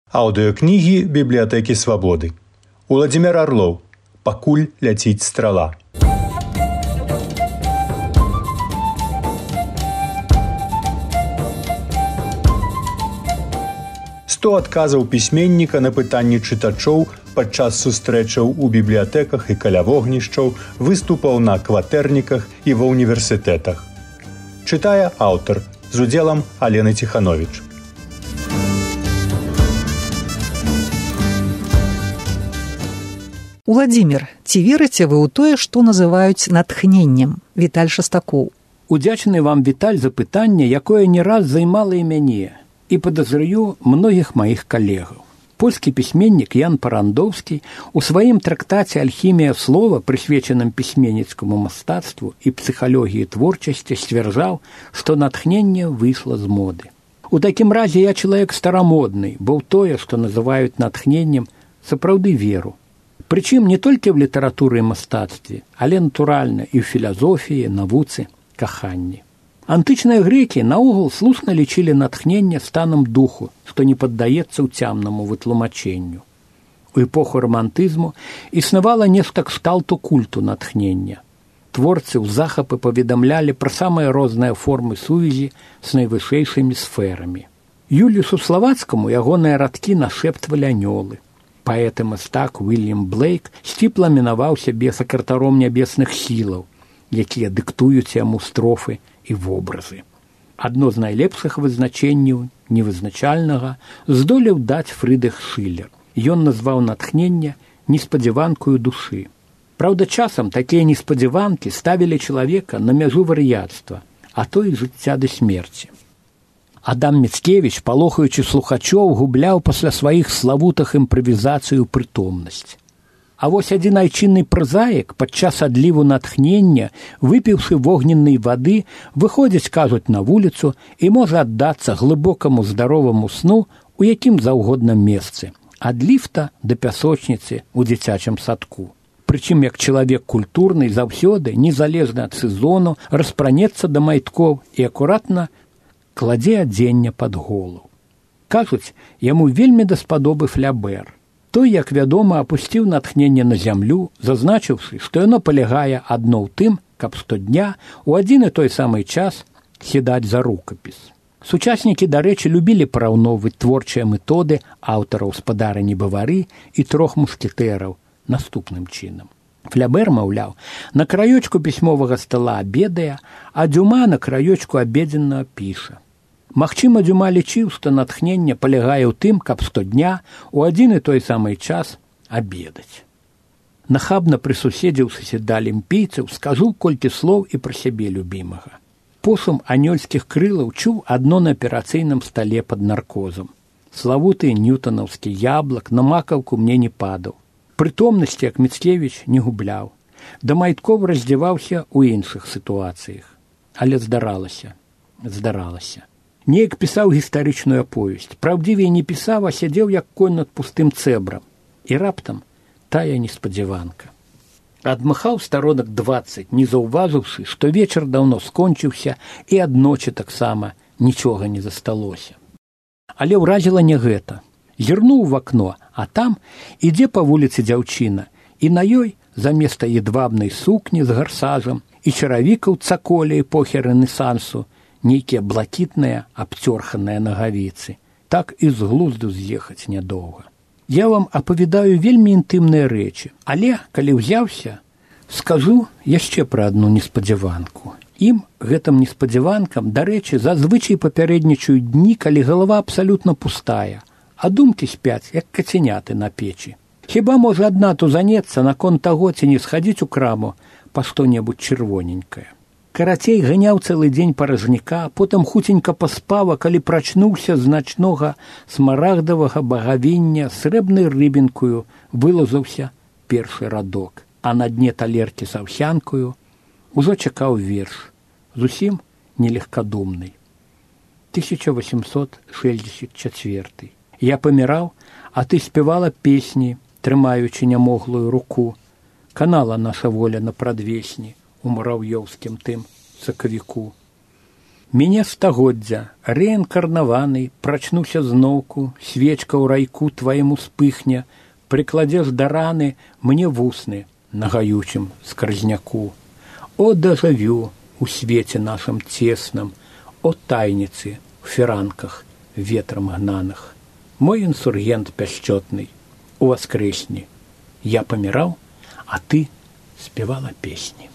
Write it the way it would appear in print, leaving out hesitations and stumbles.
Аўдыёкнігі бібліятэкі свабоды. Уладзімир Арлоў. Пакуль ляціць страла. Сто адказаў пісьменніка на пытанні чытачоў падчас сустрэчаў у бібліятэках і каля вогнішчаў, выступаў на кватэрніках і ва ўніверсітэтах. Чытае аўтар з удзелам Алены Ціхановіч. Уладзімир, ці верыце вы ў тое, што называюць натхненнем? Віталь Шастакоў. Удзячны вам, Віталь, за пытанне, якое не раз займала і мяне, і падазраю многіх маіх калегаў. Польскі пісьменнік Ян Парандоўскі у сваім трактаце «Альхімія слова», прысвечаным пісьменніцкаму мастацтву і псіхалогіі творчасці, сцвярджаў, што натхненне выйшла з моды. У такім разе я чалавек старамодны, бо ў тое, што называюць натхненнем, сапраўды веру. Прычым не толькі ў літаратуры і мастацтве, але натуральна і ў філазофіі, навуцы, каханні. Антычныя грэкі наогул слушна лічылі натхненне станам духу, што не паддаецца ўцямнаму вытлумачэнню. У эпоху рамантызму існавала нешта кшталту культу натхнення. Творцы ў захапы паведамлялі пра самыя розныя формы сувязі з найвышэйшымі сферамі. Юліусу Славацкаму ягоныя радкі нашэптвалі анёлы. Паэт і мастак Уільям Блейк сціпла мінаваў сябе сакратаром нябесных сілаў, якія дыктуюць яму строфы і вобразы. Адно з найлепшых вызначэнняў невызначальнага здолеў даць Фрыдрых Шылер. Ён назваў натхненне неспадзяванкаю душы. Праўда, часам такія неспадзяванкі ставілі чалавека на мяжу вар'яцтва, а то і жыцця да смерці. Адам Міцкевіч, палохаючы слухачоў, губляў пасля сваіх славутых імправізацыю прытомнасць. А вось адзін айчынны празаік падчас адліву натхнення, выпіўшы вогненнай вады, выходзіць, кажуць, на вуліцу і можа аддацца глыбокаму здароваму сну у якім заўгодна месцы, ад ліфта да пясочніцы ў дзіцячым садку. Прычым, як чалавек культурны заўсёды, незалежна ад сезону, распранецца да майткоў і акуратна кладзе адзенне пад голову. Кажуць, яму вельмі даспадобы Флябер. Той, як вядома, апусціў натхненне на зямлю, зазначыўшы, што яно палягае адно ў тым, каб штодня у адзін і той самы час сядаць за рукапіс. Сучаснікі, дарэчы, любілі параўноўваць творчыя методы аўтараў «Спадара не бавары» і «Трох мушкетэраў» наступным чынам. Флябер, маўляў, на краёчку пісьмовага стала абедае, а Дюма на краёчку абедзенна піша. Магчыма, Дюма лічыў, што натхненне палягае ў тым, каб штодня у адзін і той самы час абедаць. Нахабна прысуседзіўшыся да алімпійцаў, скажу колькі слоў і пра сябе любімага. Посум анёльскіх крылаў чуў адно на аперацыйным стале пад наркозам. Славуты ньютанаўскі яблак на макаўку мне не падаў. Прытомнасці, як Міцкевіч, не губляў. Да майткоў раздзяваўся ў іншых сітуацыях. Але здаралася. Неяк пісаў гістарычную аповесць. Праўдзівей не пісаў, а сядзеў, як конь над пустым цэбрам. І раптам тая неспадзяванка. Адмахаў старонак 20, не заўважыўшы, што вечар даўно скончыўся і адночы таксама нічога не засталося. Але ўразіла не гэта. Зірнуў в акно, а там ідзе па вуліцы дзяўчына, і на ёй заместа едвабнай сукні з гарсажам і чаравікаў цаколі эпохі рэнесансу нейкія блакітныя абцёрханыя нагавіцы. Так і з глузду з'ехаць нядоўга. Я вам апавядаю вельмі інтымныя рэчы, але, калі ўзяўся, скажу яшчэ пра адну неспадзяванку. Ім, гэтым неспадзяванкам, дарэчы, зазвычай папярэднічаюць дні, калі галава абсалютна пустая, а думкі спяць, як кацяняты на печы. Хіба можа адна тузанецца наконт таго, ці не схадзіць у краму па што-небудзь чырвоненькае. Карацей, ганяў цэлы дзень паражняка, потым хуценька паспаў, а калі прачнуўся з начнога смарагдавага багавіння срэбнай рыбінкаю, вылазаўся першы радок, а на дне талеркі з аўсянкаю ужо чакаў верш, зусім нелегкадумны. 1864. Я паміраў, а ты спявала песні, трымаючы нямоглую руку. Канала наша воля на прадвесні у мурав'ёўскім тым сакавіку. Мяне стагоддзя, рэінкарнаваны, прачнуся зноўку, свечка ў райку твайму спыхне, прыкладзеш да раны мне вусны на гаючым скразняку. О, дажавю у свеце нашым цесным, о тайніцы в фіранках ветрам гнаных. Мой інсургент пяшчотны, уваскрэсні. Я паміраў, а ты спявала песні.